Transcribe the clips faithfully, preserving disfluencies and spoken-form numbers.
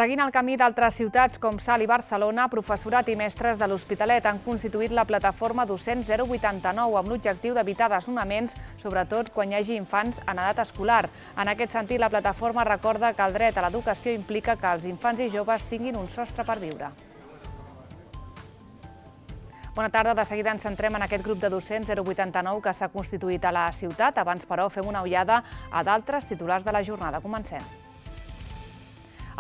Seguint el camí d'altres ciutats com Salt i Barcelona, professorat i mestres de l'Hospitalet han constituït la plataforma Docents zero vuitanta-nou amb l'objectiu d'evitar desnonaments, sobretot quan hi hagi infants en edat escolar. En aquest sentit, la plataforma recorda que el dret a l'educació implica que els infants i joves tinguin un sostre per viure. Bona tarda, de seguida ens centrem en aquest grup de docents zero vuitanta-nou que s'ha constituït a la ciutat. Abans, però, fem una ullada a d'altres titulars de la jornada. Comencem.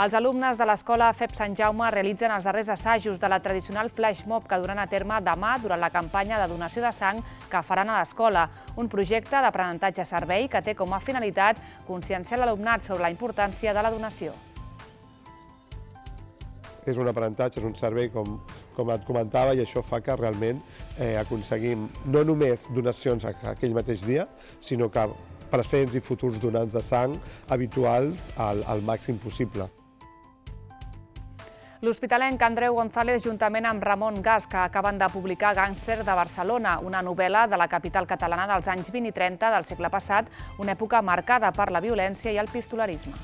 Els alumnes de l'Escola F E P Sant Jaume realitzen els darrers assajos de la tradicional flash mob que duran a terme demà durant la campanya de donació de sang que faran a l'escola, un projecte d'aprenentatge-servei que té com a finalitat conscienciar l'alumnat sobre la importància de la donació. És un aprenentatge, és un servei, com, com et comentava, i això fa que realment eh, aconseguim no només donacions aquell mateix dia, sinó que presents i futurs donants de sang habituals al, al màxim possible. L'hospitalenc Andreu González, juntament amb Ramon Gas, que acaben de publicar Gàngster de Barcelona, una novel·la de la capital catalana dels anys vint i trenta del segle passat, una època marcada per la violència i el pistolerisme.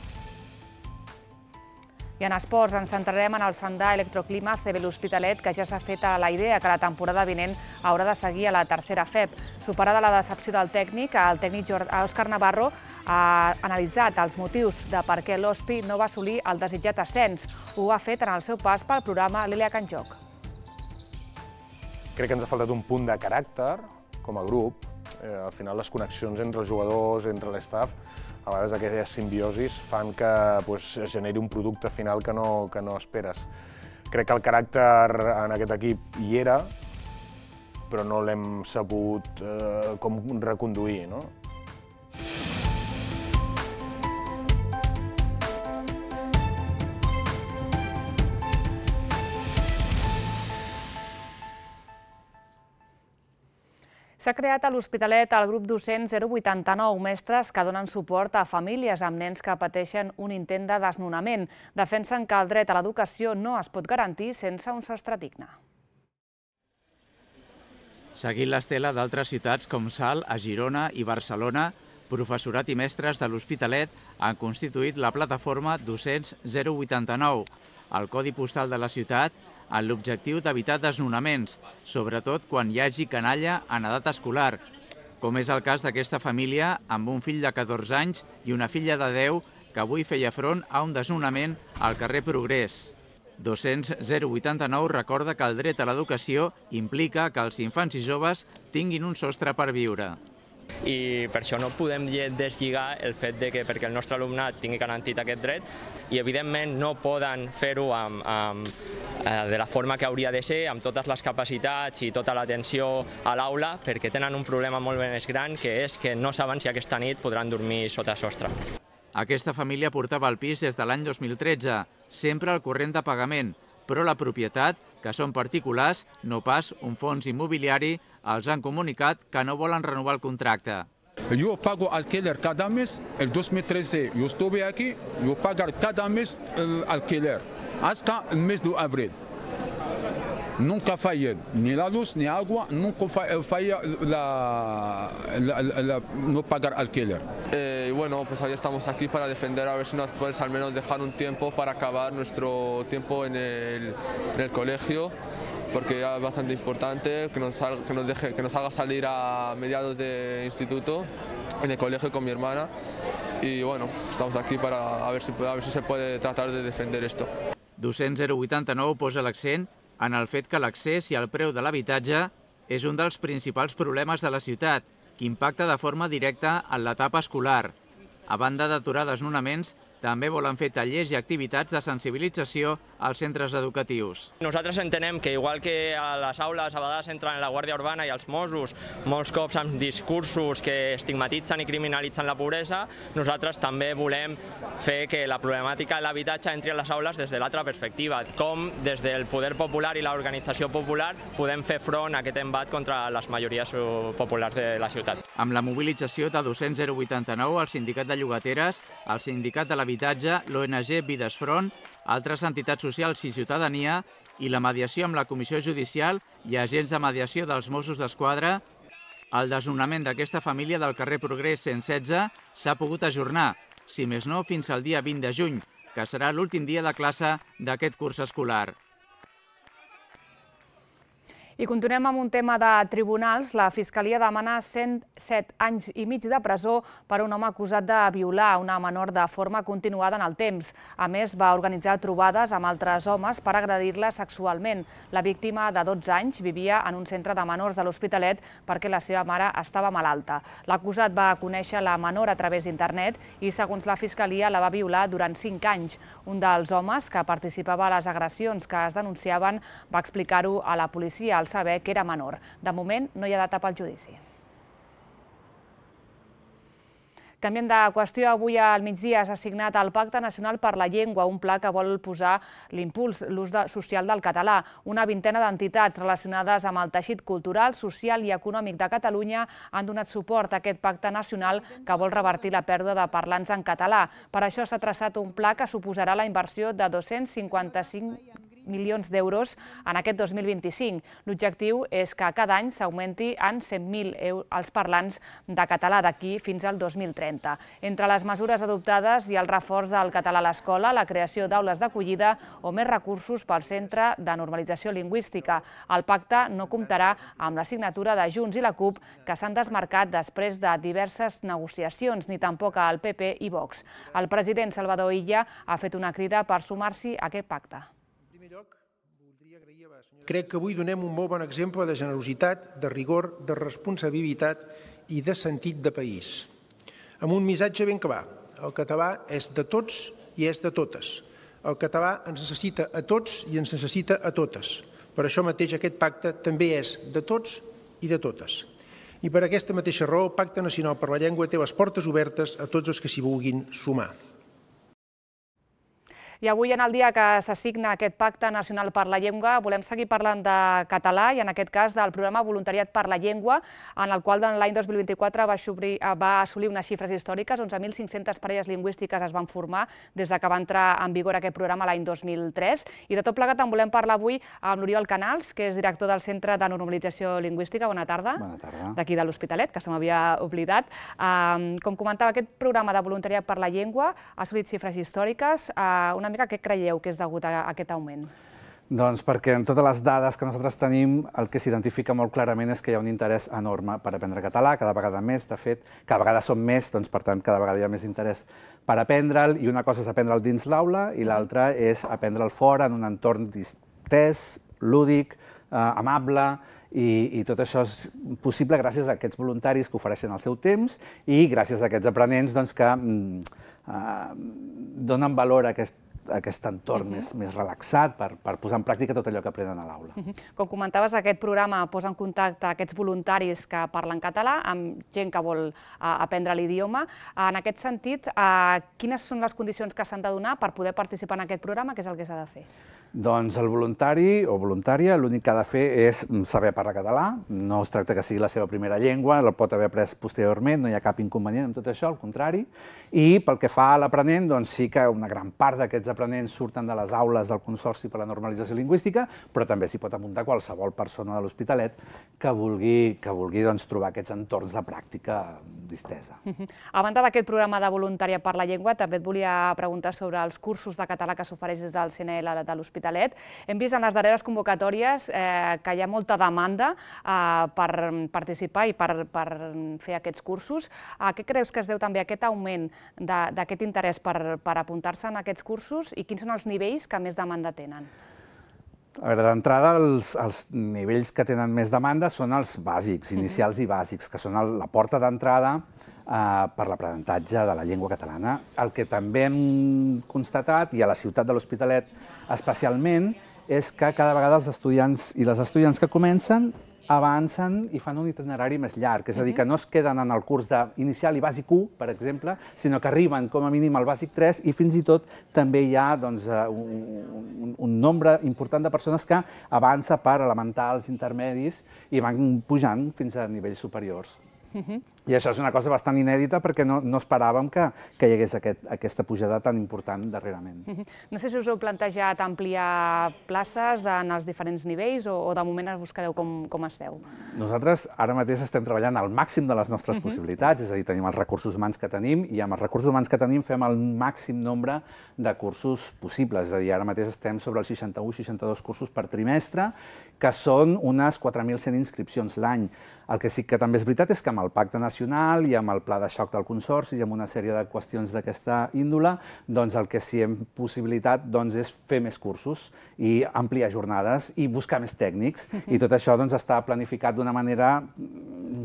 I en esports ens centrarem en el Sandà Electroclima C B l'Hospitalet, que ja s'ha fet a la idea que la temporada vinent haurà de seguir a la tercera F E P. Superada la decepció del tècnic, el tècnic Òscar Navarro ha analitzat els motius de per què l'Hospi no va assolir el desitjat ascens. Ho ha fet en el seu pas pel programa L'Elia Can Joc. Crec que ens ha faltat un punt de caràcter com a grup. Eh, al final les connexions entre els jugadors, entre l'estaf, a vegades aquelles simbiosis fan que pues, es generi un producte final que no, que no esperes. Crec que el caràcter en aquest equip hi era, però no l'hem sabut eh, com reconduir, no? S'ha creat a l'Hospitalet el grup docent zero vuitanta-nou, mestres que donen suport a famílies amb nens que pateixen un intent de desnonament. Defensen que el dret a l'educació no es pot garantir sense un sostre digne. Seguint l'estela d'altres ciutats com Salt, a Girona i Barcelona, professorat i mestres de l'Hospitalet han constituït la plataforma Docents zero vuitanta-nou, el codi postal de la ciutat, amb l'objectiu d'evitar desnonaments, sobretot quan hi hagi canalla en edat escolar, com és el cas d'aquesta família amb un fill de catorze anys i una filla de deu que avui feia front a un desnonament al carrer Progrés. Docents zero vuitanta-nou recorda que el dret a l'educació implica que els infants i joves tinguin un sostre per viure. I per això no podem deslligar el fet de que perquè el nostre alumnat tingui garantit aquest dret i evidentment no poden fer-ho amb, amb, de la forma que hauria de ser, amb totes les capacitats i tota l'atenció a l'aula, perquè tenen un problema molt més gran, que és que no saben si aquesta nit podran dormir sota sostre. Aquesta família portava el pis des de l'any dos mil tretze, sempre al corrent de pagament, però la propietat, que són particulars, no pas un fons immobiliari, els han comunicat que no volen renovar el contracte. Yo pago alquiler cada mes, el dos mil trece yo estuve aquí, yo pago cada mes el alquiler, hasta el mes de abril. Nunca fallé, ni la luz ni agua, nunca falla la, la, la, la, no pagar alquiler. Eh, y bueno, pues hoy estamos aquí para defender, a ver si nos puedes al menos dejar un tiempo para acabar nuestro tiempo en el, en el colegio, porque ya es bastante importante que nos, salga, que, nos deje, que nos haga salir a mediados de instituto, en el colegio con mi hermana, y bueno, estamos aquí para a ver si, a ver si se puede tratar de defender esto. Docents zero vuitanta-nou posa l'accent en el fet que l'accés i el preu de l'habitatge és un dels principals problemes de la ciutat, que impacta de forma directa en l'etapa escolar. A banda d'aturar desnonaments, també volen fer tallers i activitats de sensibilització als centres educatius. Nosaltres entenem que, igual que a les aules a vegades entren la Guàrdia Urbana i els Mossos, molts cops amb discursos que estigmatitzen i criminalitzen la pobresa, nosaltres també volem fer que la problemàtica de l'habitatge entri a les aules des de l'altra perspectiva, com des del poder popular i l'organització popular podem fer front a aquest embat contra les majories populars de la ciutat. Amb la mobilització de Docents zero vuitanta-nou, el Sindicat de Llogateres, el Sindicat de l'Habitatge, l'O N G Vides Front, altres entitats socials i ciutadania i la mediació amb la Comissió Judicial i agents de mediació dels Mossos d'Esquadra, el desnonament d'aquesta família del carrer Progrés cent setze s'ha pogut ajornar, si més no fins al dia vint de juny, que que serà l'últim dia de classe d'aquest curs escolar. I continuem amb un tema de tribunals. La Fiscalia demana cent set anys i mig de presó per un home acusat de violar una menor de forma continuada en el temps. A més, va organitzar trobades amb altres homes per agredir-la sexualment. La víctima, de dotze anys, vivia en un centre de menors de l'Hospitalet perquè la seva mare estava malalta. L'acusat va conèixer la menor a través d'internet i, segons la Fiscalia, la va violar durant cinc anys. Un dels homes que participava a les agressions que es denunciaven va explicar-ho a la policia al saber que era menor. De moment, no hi ha data pel judici. Canviem de qüestió. Avui al migdia s'ha signat el Pacte Nacional per la Llengua, un pla que vol posar l'impuls, l'ús social del català. Una vintena d'entitats relacionades amb el teixit cultural, social i econòmic de Catalunya han donat suport a aquest pacte nacional que vol revertir la pèrdua de parlants en català. Per això s'ha traçat un pla que suposarà la inversió de dos-cents cinquanta-cinc milions d'euros en aquest dos mil vint-i-cinc. L'objectiu és que cada any s'augmenti en cent mil els parlants de català d'aquí fins al dos mil trenta. Entre les mesures adoptades hi ha el reforç del català a l'escola, la creació d'aules d'acollida o més recursos pel Centre de Normalització Lingüística. El pacte no comptarà amb la signatura de Junts i la CUP, que s'han desmarcat després de diverses negociacions, ni tampoc al P P i Vox. El president Salvador Illa ha fet una crida per sumar-s'hi a aquest pacte. Crec que avui donem un molt bon exemple de generositat, de rigor, de responsabilitat i de sentit de país. Amb un missatge ben clar. El català és de tots i és de totes. El català ens necessita a tots i ens necessita a totes. Per això mateix aquest pacte també és de tots i de totes. I per aquesta mateixa raó el Pacte Nacional per la Llengua té les portes obertes a tots els que s'hi vulguin sumar. I avui, en el dia que s'assigna aquest Pacte Nacional per la Llengua, volem seguir parlant de català i, en aquest cas, del programa Voluntariat per la Llengua, en el qual l'any dos mil vint-i-quatre va assolir unes xifres històriques. onze mil cinc-centes parelles lingüístiques es van formar des que va entrar en vigor aquest programa l'any dos mil tres. I de tot plegat en volem parlar avui amb l'Oriol Canals, que és director del Centre de Normalització Lingüística. Bona tarda. Bona tarda. D'aquí de l'Hospitalet, que se m'havia oblidat. Com comentava, aquest programa de Voluntariat per la Llengua ha assolit xifres històriques. Una mica què creieu que és degut a aquest augment? Doncs perquè en totes les dades que nosaltres tenim el que s'identifica molt clarament és que hi ha un interès enorme per aprendre català, cada vegada més, de fet, cada vegada som més, doncs per tant cada vegada hi ha més interès per aprendre'l, i una cosa és aprendre'l dins l'aula i l'altra és aprendre'l fora en un entorn distès, lúdic, amable, i tot això és possible gràcies a aquests voluntaris que ofereixen el seu temps i gràcies a aquests aprenents que donen valor a aquest aquest entorn més relaxat per posar en pràctica tot allò que aprenen a l'aula. Com comentaves, aquest programa posa en contacte aquests voluntaris que parlen català amb gent que vol aprendre l'idioma. En aquest sentit, quines són les condicions que s'han de donar per poder participar en aquest programa? Què és el que s'ha de fer? Doncs el voluntari o voluntària l'únic que ha de fer és saber parlar català. No es tracta que sigui la seva primera llengua, el pot haver après posteriorment, no hi ha cap inconvenient amb tot això, al contrari. I pel que fa a l'aprenent, doncs sí que una gran part d'aquests aprenents surten de les aules del Consorci per la Normalització Lingüística, però també s'hi pot apuntar qualsevol persona de l'Hospitalet que vulgui trobar aquests entorns de pràctica distesa. A banda d'aquest programa de Voluntariat per la Llengua, també et volia preguntar sobre els cursos de català que s'ofereix des del C N L de l'Hospitalet. Hem vist en les darreres convocatòries que hi ha molta demanda per participar i per fer aquests cursos. A què creus que es deu també aquest augment d'aquest interès per apuntar-se en aquests cursos i quins són els nivells que més demanda tenen? A veure, d'entrada, els nivells que tenen més demanda són els bàsics, inicials i bàsics, que són la porta d'entrada per l'aprenentatge de la llengua catalana. El que també hem constatat, i a la ciutat de l'Hospitalet especialment, és que cada vegada els estudiants i les estudiants que comencen avancen i fan un itinerari més llarg, és a dir, que no es queden en el curs d'inicial i bàsic u, per exemple, sinó que arriben com a mínim al bàsic tres i fins i tot també hi ha un nombre important de persones que avança per elementals, intermedis i van pujant fins a nivells superiors. I això és una cosa bastant inèdita perquè no, no esperàvem que, que hi hagués aquest, aquesta pujada tan important darrerament. No sé si us heu plantejat ampliar places en els diferents nivells o, o de moment us quedeu com, com esteu? Nosaltres ara mateix estem treballant al màxim de les nostres uh-huh. possibilitats, és a dir, tenim els recursos humans que tenim i amb els recursos humans que tenim fem el màxim nombre de cursos possibles. És a dir, ara mateix estem sobre els seixanta-u seixanta-dos cursos per trimestre, que són unes quatre mil cent inscripcions l'any. El que sí que també és veritat és que amb el Pacte Nacional i amb el Pla de Xoc del Consorci i amb una sèrie de qüestions d'aquesta índole, doncs el que sí hem possibilitat doncs, és fer més cursos i ampliar jornades i buscar més tècnics. Uh-huh. I tot això doncs, està planificat d'una manera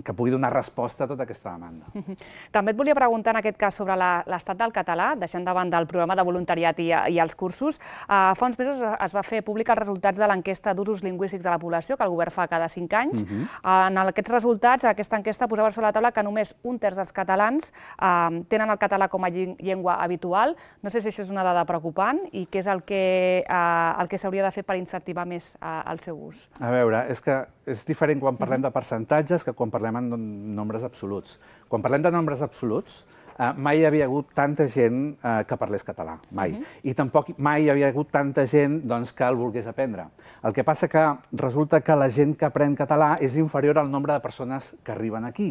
que pugui donar resposta a tota aquesta demanda. Uh-huh. També et volia preguntar en aquest cas sobre l'estat del català, deixant davant del programa de voluntariat i, i els cursos. Uh, fa uns mesos es va fer públic els resultats de l'enquesta d'usos lingüístics de la població, que el govern fa cada cinc anys. Uh-huh. uh, en aquests resultats, aquesta enquesta posava sobre la taula que només un terç dels catalans uh, tenen el català com a llengua habitual. No sé si això és una dada preocupant i què és el que, uh, el que s'hauria de fer per incentivar més uh, el seu ús. A veure, és que és diferent quan parlem de percentatges que quan parlem en nombres absoluts. Quan parlem de nombres absoluts, Uh, mai hi havia hagut tanta gent uh, que parlés català, mai. Uh-huh. I tampoc mai hi havia hagut tanta gent doncs, que el volgués aprendre. El que passa que resulta que la gent que aprèn català és inferior al nombre de persones que arriben aquí.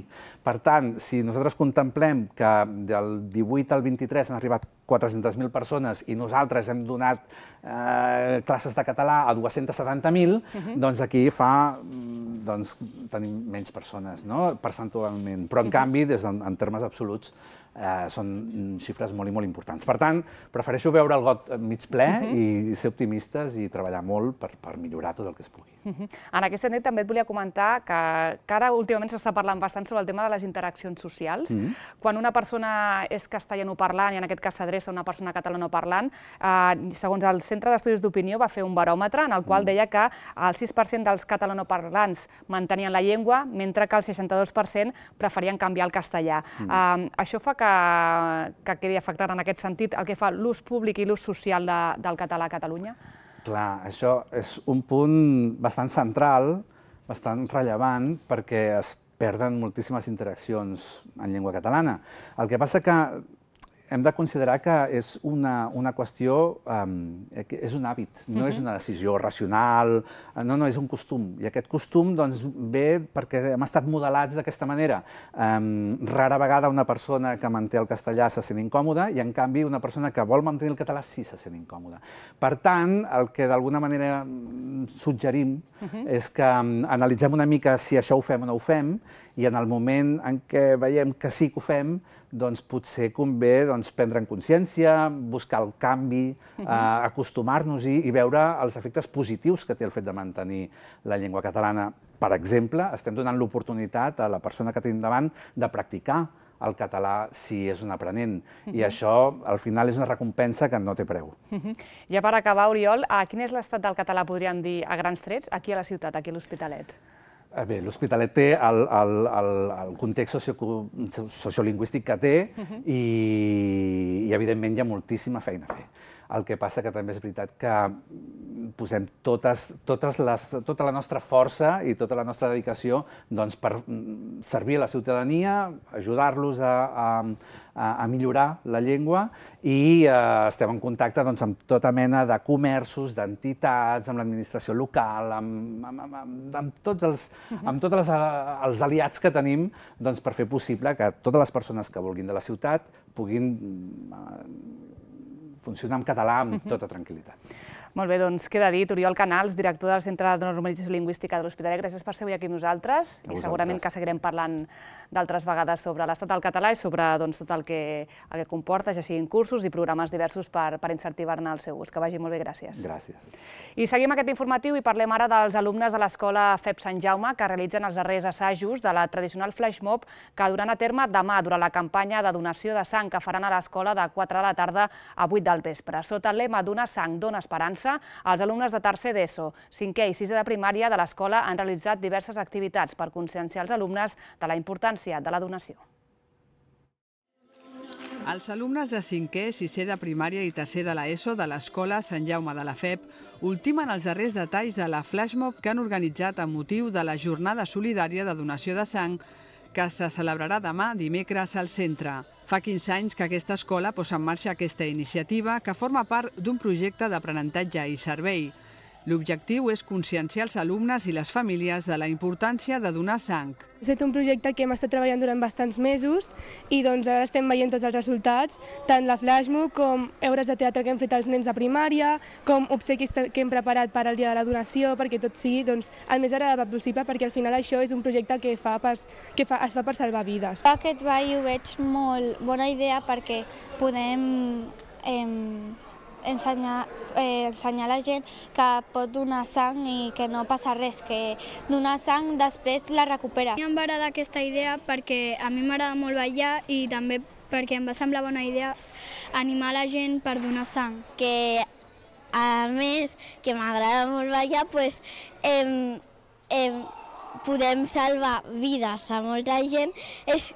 Per tant, si nosaltres contemplem que del divuit al vint-i-tres han arribat quatre-centes mil persones i nosaltres hem donat eh, classes de català a dues-centes setanta mil, uh-huh. doncs aquí fa, doncs, tenim menys persones, no? Percentualment. Però, en uh-huh. canvi, des en, en termes absoluts, Eh, són xifres molt i molt importants. Per tant, prefereixo veure el got mig ple uh-huh. i ser optimistes i treballar molt per, per millorar tot el que es pugui. Uh-huh. En aquest sentit, també et volia comentar que, que ara últimament s'està parlant bastant sobre el tema de les interaccions socials. Uh-huh. Quan una persona és castellanoparlant i en aquest cas s'adreça a una persona catalanoparlant, eh, segons el Centre d'Estudis d'Opinió va fer un baròmetre en el qual uh-huh. deia que el sis per cent dels catalanoparlants mantenien la llengua, mentre que el seixanta-dos per cent preferien canviar el castellà. Uh-huh. eh, això fa que Que, que quedi afectat en aquest sentit el que fa l'ús públic i l'ús social de, del català a Catalunya? Clar, això és un punt bastant central, bastant rellevant, perquè es perden moltíssimes interaccions en llengua catalana. El que passa que hem de considerar que és una, una qüestió, um, és un hàbit, no uh-huh. és una decisió racional, no, no, és un costum. I aquest costum doncs, ve perquè hem estat modelats d'aquesta manera. Um, rara vegada una persona que manté el castellà se sent incòmoda i, en canvi, una persona que vol mantenir el català sí se sent incòmoda. Per tant, el que d'alguna manera suggerim uh-huh. és que um, analitzem una mica si això ho fem o no ho fem, i en el moment en què veiem que sí que ho fem, doncs potser convé doncs, prendre en consciència, buscar el canvi, uh-huh. eh, acostumar-nos-hi i veure els efectes positius que té el fet de mantenir la llengua catalana. Per exemple, estem donant l'oportunitat a la persona que tenim davant de practicar el català si és un aprenent. Uh-huh. I això, al final, és una recompensa que no té preu. Uh-huh. Ja per acabar, Oriol, quin és l'estat del català, podríem dir, a grans trets, aquí a la ciutat, aquí a l'Hospitalet? Bé, l'Hospitalet té el, el, el, el context socio, sociolingüístic que té uh-huh. i, i, evidentment, hi ha moltíssima feina a fer. El que passa que també és veritat que posem totes, totes les, tota la nostra força i tota la nostra dedicació doncs, per servir a la ciutadania, ajudar-los a, a, a millorar la llengua i eh, estem en contacte doncs, amb tota mena de comerços, d'entitats, amb l'administració local, amb, amb, amb, amb tots, els, amb tots els, els aliats que tenim doncs, per fer possible que totes les persones que vulguin de la ciutat puguin eh, funcionar en català amb tota tranquil·litat. Molt bé, doncs queda dit. Oriol Canals, director del Centre de Normalització Lingüística de l'Hospitalet, gràcies per ser avui aquí amb nosaltres i segurament que seguirem parlant d'altres vegades sobre l'estat del català i sobre doncs, tot el que, el que comporta, ja siguin cursos i programes diversos per, per incentivar-ne el seu ús. Que vagi molt bé, gràcies. Gràcies. I seguim aquest informatiu i parlem ara dels alumnes de l'Escola F E P Sant Jaume que realitzen els darrers assajos de la tradicional flash mob que duran a terme demà durant la campanya de donació de sang que faran a l'escola de quatre de la tarda a vuit del vespre. Sota el lema Donar sang, dona esperança, els alumnes de tercer d'ESO, cinquè i sisè de primària de l'escola han realitzat diverses activitats per conscienciar els alumnes de la importància de la donació. Els alumnes de cinquè, sisè de primària i tercer de l'ESO de l'Escola Sant Jaume de la F E P ultimen els darrers detalls de la flash mob que han organitzat amb motiu de la jornada solidària de donació de sang que se celebrarà demà dimecres al centre. Fa quinze anys que aquesta escola posa en marxa aquesta iniciativa que forma part d'un projecte d'aprenentatge i servei. L'objectiu és conscienciar els alumnes i les famílies de la importància de donar sang. Ha estat un projecte que hem estat treballant durant bastants mesos i doncs ara estem veient tots els resultats, tant la flashmob com obres de teatre que hem fet als nens de primària, com obsequis que hem preparat per al dia de la donació, perquè tot sigui doncs, el més agradable possible, perquè al final això és un projecte que, fa per, que fa, es fa per salvar vides. Aquest ball ho veig molt bona idea perquè podem eh, ensenyar, eh, ensenyar a la gent que pot donar sang i que no passa res, que donar sang després la recupera. A mi em va agradar aquesta idea perquè a mi m'agrada molt ballar i també perquè em va semblar bona idea animar la gent per donar sang. Que a més que m'agrada molt ballar, pues, eh, eh, podem salvar vides a molta gent. És,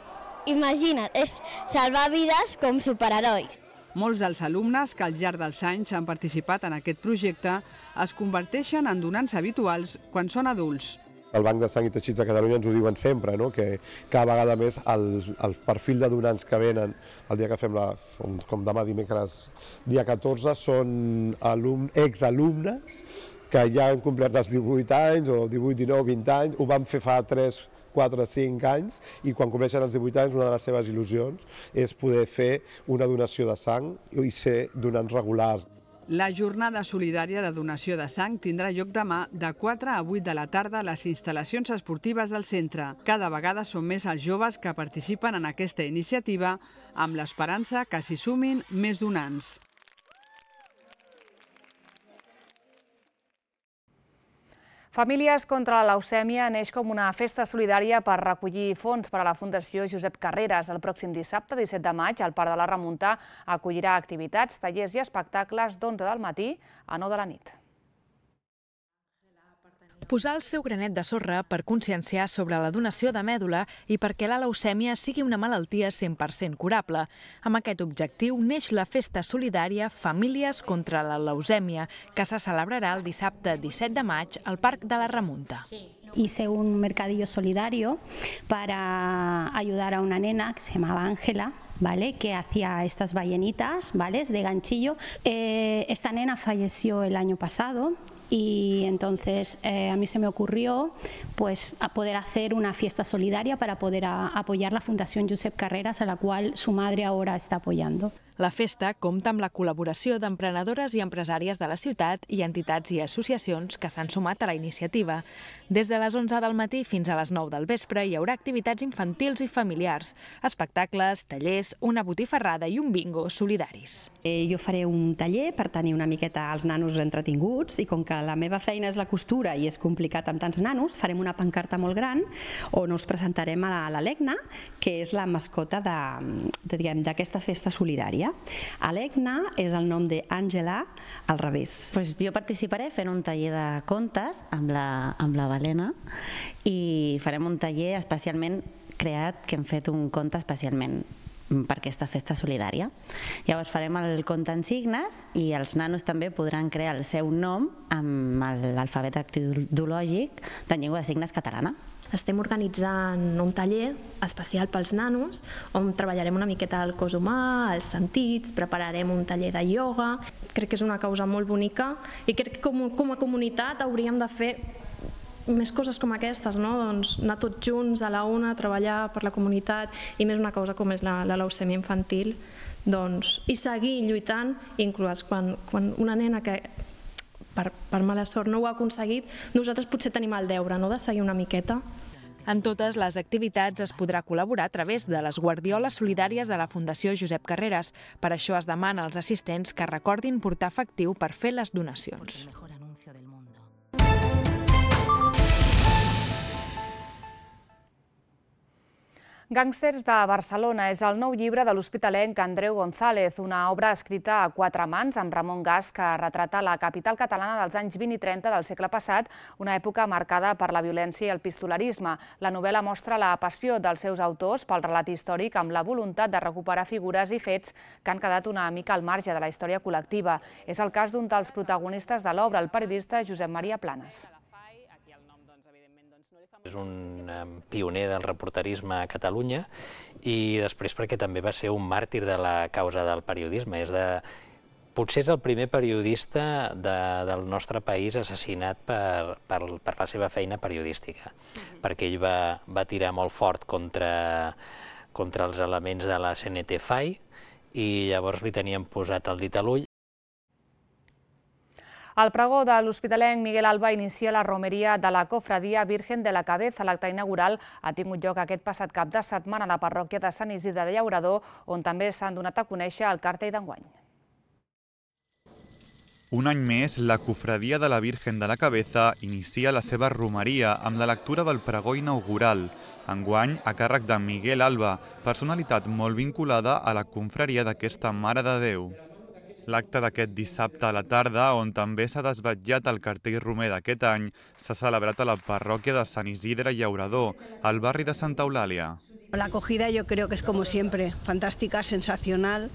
imagina't, és salvar vides com superherois. Molts dels alumnes que al llarg dels anys han participat en aquest projecte es converteixen en donants habituals quan són adults. El Banc de Sang i Teixits de Catalunya ens ho diuen sempre, no? Que cada vegada més el, el perfil de donants que venen el dia que fem la, com, com demà dimecres dia catorze, són alum, exalumnes que ja han complert els divuit anys o divuit, dinou, vint anys, ho van fer fa tres, quatre, cinc anys i quan compleixen els divuit anys una de les seves il·lusions és poder fer una donació de sang i ser donants regulars. La jornada solidària de donació de sang tindrà lloc demà de quatre a vuit de la tarda a les instal·lacions esportives del centre. Cada vegada són més els joves que participen en aquesta iniciativa amb l'esperança que s'hi sumin més donants. Famílies contra la leucèmia neix com una festa solidària per recollir fons per a la Fundació Josep Carreras. El pròxim dissabte, disset de maig, el Parc de la Remunta acollirà activitats, tallers i espectacles d'onze del matí a nou de la nit. Posar el seu granet de sorra per conscienciar sobre la donació de mèdula i perquè la leucèmia sigui una malaltia cent per cent curable. Amb aquest objectiu neix la festa solidària Famílies contra la leucèmia, que se celebrarà el dissabte disset de maig al Parc de la Remunta. Hice un mercadillo solidario para ayudar a una nena que se llamaba Ángela, ¿vale? Que hacía estas ballenitas, ¿vale? De ganchillo. Eh, esta nena falleció el año pasado y entonces eh, a mí se me ocurrió pues, a poder hacer una fiesta solidaria para poder a, apoyar la Fundación Josep Carreras, a la cual su madre ahora está apoyando. La festa compta amb la col·laboració d'emprenedores i empresàries de la ciutat i entitats i associacions que s'han sumat a la iniciativa. Des de les onze del matí fins a les nou del vespre hi haurà activitats infantils i familiars, espectacles, tallers, una botifarrada i un bingo solidaris. Eh, jo faré un taller per tenir una miqueta els nanos entretinguts i com que la meva feina és la costura i és complicat amb tants nanos, farem una pancarta molt gran on us presentarem a l'Alegna, que és la mascota d'aquesta festa solidària. Alegna és el nom d'Àngela al revés. Pues jo participaré fent un taller de contes amb la, amb la Balena i farem un taller especialment creat, que hem fet un conte especialment per aquesta festa solidària. Llavors farem el conte en signes i els nanos també podran crear el seu nom amb l'alfabet dactilològic de llengua de signes catalana. Estem organitzant un taller especial pels nanos on treballarem una miqueta el cos humà, els sentits, prepararem un taller de ioga. Crec que és una causa molt bonica i crec que com, com a comunitat hauríem de fer més coses com aquestes, no? Doncs anar tots junts a la una, treballar per la comunitat i més una causa com és la, la leucèmia infantil, doncs, i seguir lluitant, inclús quan, quan una nena que per, per mala sort no ho ha aconseguit, nosaltres potser tenim el deure, no?, de seguir una miqueta. En totes les activitats es podrà col·laborar a través de les guardioles solidàries de la Fundació Josep Carreras. Per això es demana als assistents que recordin portar efectiu per fer les donacions. Gàngsters de Barcelona és el nou llibre de l'hospitalenc Andreu González, una obra escrita a quatre mans amb Ramon Gas que retrata la capital catalana dels anys vint i trenta del segle passat, una època marcada per la violència i el pistolarisme. La novel·la mostra la passió dels seus autors pel relat històric amb la voluntat de recuperar figures i fets que han quedat una mica al marge de la història col·lectiva. És el cas d'un dels protagonistes de l'obra, el periodista Josep Maria Planes. És un pioner del reporterisme a Catalunya i després perquè també va ser un màrtir de la causa del periodisme. És de... Potser és el primer periodista de, del nostre país assassinat per, per, per la seva feina periodística, mm-hmm. perquè ell va, va tirar molt fort contra, contra els elements de la C N T F A I i llavors li tenien posat el dit a l'ull. El pregó de l'hospitalenc Miguel Alba inicia la romeria de la cofradia Virgen de la Cabeza. L'acte inaugural ha tingut lloc aquest passat cap de setmana a la parròquia de Sant Isidre de Llaurador, on també s'han donat a conèixer el cartell d'enguany. Un any més, la cofradia de la Virgen de la Cabeza inicia la seva romeria amb la lectura del pregó inaugural, enguany a càrrec de Miguel Alba, personalitat molt vinculada a la confraria d'aquesta Mare de Déu. L'acte d'aquest dissabte a la tarda, on també s'ha desvetllat el cartell romer d'aquest any, s'ha celebrat a la parròquia de Sant Isidre i Llaurador, al barri de Santa Eulàlia. La acogida yo creo que es como siempre, fantástica, sensacional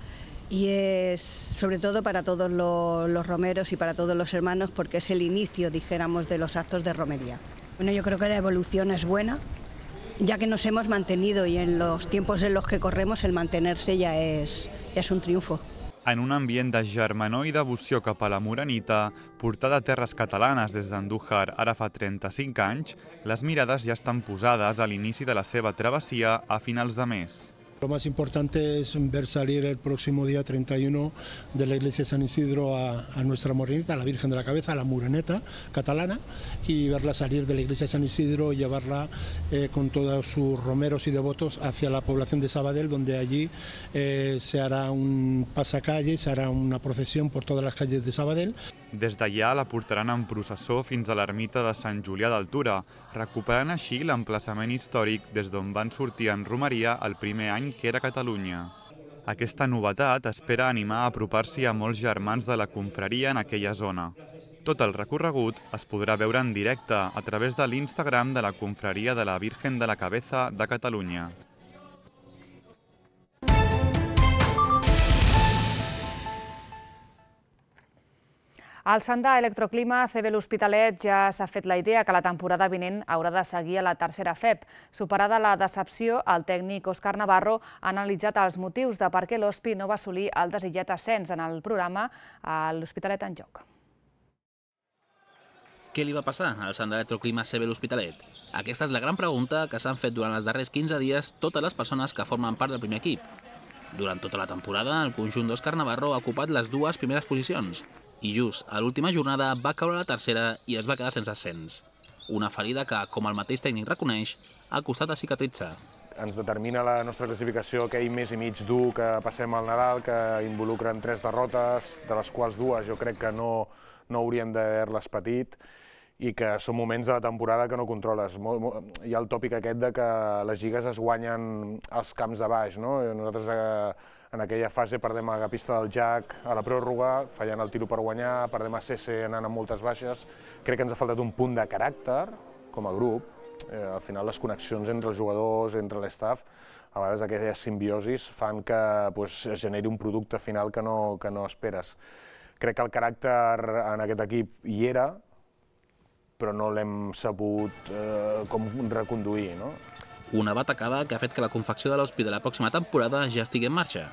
y es sobre todo para todos los, los romeros y para todos los hermanos porque es el inicio, dijéramos, de los actos de romería. Bueno, yo creo que la evolución es buena, ya que nos hemos mantenido y en los tiempos en los que corremos el mantenerse ya es, ya es un triunfo. En un ambient de germanor i devoció cap a la morenita, portada a terres catalanes des d'Andújar ara fa trenta-cinc anys, les mirades ja estan posades a l'inici de la seva travessia a finals de mes. Lo más importante es ver salir el próximo día treinta y uno de la iglesia de San Isidro a, a nuestra morenita, a la Virgen de la Cabeza, a la moreneta catalana, y verla salir de la iglesia de San Isidro y llevarla eh, con todos sus romeros y devotos hacia la población de Sabadell, donde allí eh, se hará un pasacalle, se hará una procesión por todas las calles de Sabadell. Des d'allà la portaran en processó fins a l'ermita de Sant Julià d'Altura, recuperant així l'emplaçament històric des d'on van sortir en romeria el primer any que era Catalunya. Aquesta novetat espera animar a apropar-s'hi a molts germans de la confraria en aquella zona. Tot el recorregut es podrà veure en directe a través de l'Instagram de la confraria de la Virgen de la Cabeza de Catalunya. Al Sandà Electroclima, C B l'Hospitalet ja s'ha fet la idea que la temporada vinent haurà de seguir a la tercera F E P. Superada la decepció, el tècnic Òscar Navarro ha analitzat els motius de per què l'Hospi no va assolir el desitjat ascens en el programa a l'Hospitalet en joc. Què li va passar al Sandà Electroclima C B l'Hospitalet? Aquesta és la gran pregunta que s'han fet durant els darrers quinze dies totes les persones que formen part del primer equip. Durant tota la temporada, el conjunt d'Òscar Navarro ha ocupat les dues primeres posicions, i just a l'última jornada va caure a la tercera i es va quedar sense ascens. Una ferida que, com el mateix tècnic reconeix, ha costat a cicatritzar. Ens determina la nostra classificació aquell mes i mig dur que passem al Nadal, que involucren tres derrotes, de les quals dues jo crec que no, no hauríem d'haver-les patit, i que són moments de la temporada que no controles. Hi ha el tòpic aquest de que les lligues es guanyen als camps de baix, no? Nosaltres en aquella fase perdem a la pista del Jack a la pròrroga, fallant el tiro per guanyar, perdem a C C anant amb moltes baixes. Crec que ens ha faltat un punt de caràcter com a grup. Al final les connexions entre els jugadors, entre l'estaf, a vegades aquelles simbiosis fan que es generi un producte final que no, que no esperes. Crec que el caràcter en aquest equip hi era, però no l'hem sabut eh, com reconduir, no? Una batacada que ha fet que la confecció de l'Hospi de la pròxima temporada ja estigui en marxa.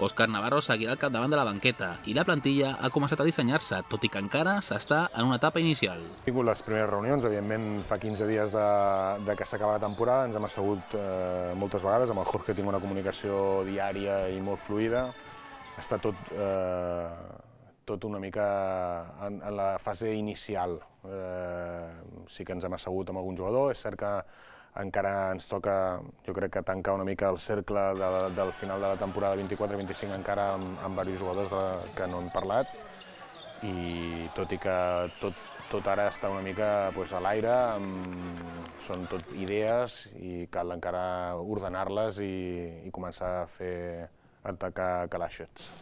Òscar Navarro seguirà al capdavant de la banqueta i la plantilla ha començat a dissenyar-se, tot i que encara s'està en una etapa inicial. Hem tingut les primeres reunions, evidentment fa quinze dies de, de que s'acaba la temporada, ens hem assegut eh, moltes vegades, amb el Jorge tinc una comunicació diària i molt fluida. Està tot, eh, tot una mica en, en la fase inicial. Eh, sí que ens hem assegut amb algun jugador, és cert que encara ens toca, jo crec que tancar una mica el cercle de, del final de la temporada vint-i-quatre vint-i-cinc encara amb, amb diversos jugadors de, que no hem parlat, i tot i que tot, tot ara està una mica pues, a l'aire, són tot idees i cal encara ordenar-les i, i començar a fer atacar calaixets.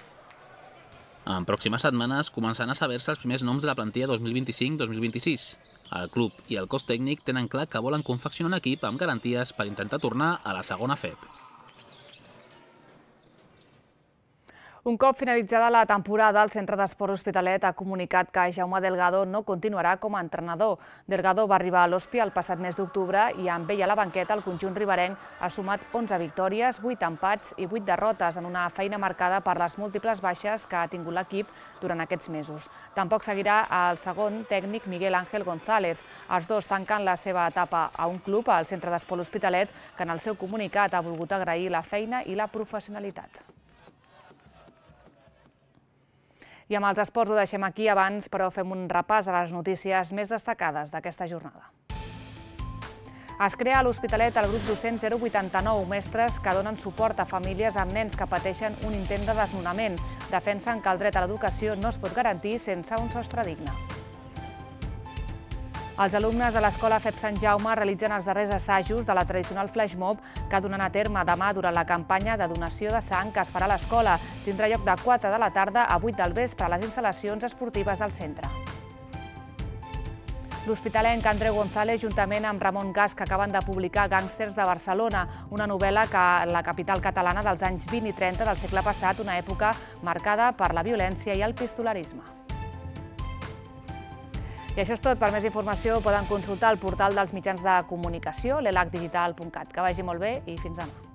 En pròximes setmanes començaran a saber-se els primers noms de la plantilla dos mil vint-i-cinc dos mil vint-i-sis. El club i el cos tècnic tenen clar que volen confeccionar un equip amb garanties per intentar tornar a la segona F E P. Un cop finalitzada la temporada, el Centre d'Esport Hospitalet ha comunicat que Jaume Delgado no continuarà com a entrenador. Delgado va arribar a l'Hospi el passat mes d'octubre i amb ell a la banqueta el conjunt riberenc ha sumat onze victòries, vuit empats i vuit derrotes en una feina marcada per les múltiples baixes que ha tingut l'equip durant aquests mesos. Tampoc seguirà el segon tècnic Miguel Ángel González. Els dos tanquen la seva etapa a un club, al Centre d'Esport Hospitalet, que en el seu comunicat ha volgut agrair la feina i la professionalitat. I amb els esports ho deixem aquí abans, però fem un repàs a les notícies més destacades d'aquesta jornada. Es crea a l'Hospitalet el grup docent zero vuitanta-nou, mestres que donen suport a famílies amb nens que pateixen un intent de desnonament. Defensen que el dret a l'educació no es pot garantir sense un sostre digne. Els alumnes de l'Escola F E P Sant Jaume realitzen els darrers assajos de la tradicional flash mob que donen a terme demà durant la campanya de donació de sang que es farà a l'escola. Tindrà lloc de quatre de la tarda a vuit del vespre a les instal·lacions esportives del centre. L'hospitalenc Andreu González, juntament amb Ramon Gas, que acaben de publicar Gàngsters de Barcelona, una novel·la que la capital catalana dels anys vint i trenta del segle passat, una època marcada per la violència i el pistolarisme. I això és tot. Per més informació poden consultar el portal dels mitjans de comunicació, l'elac digital punt cat. Que vagi molt bé i fins demà.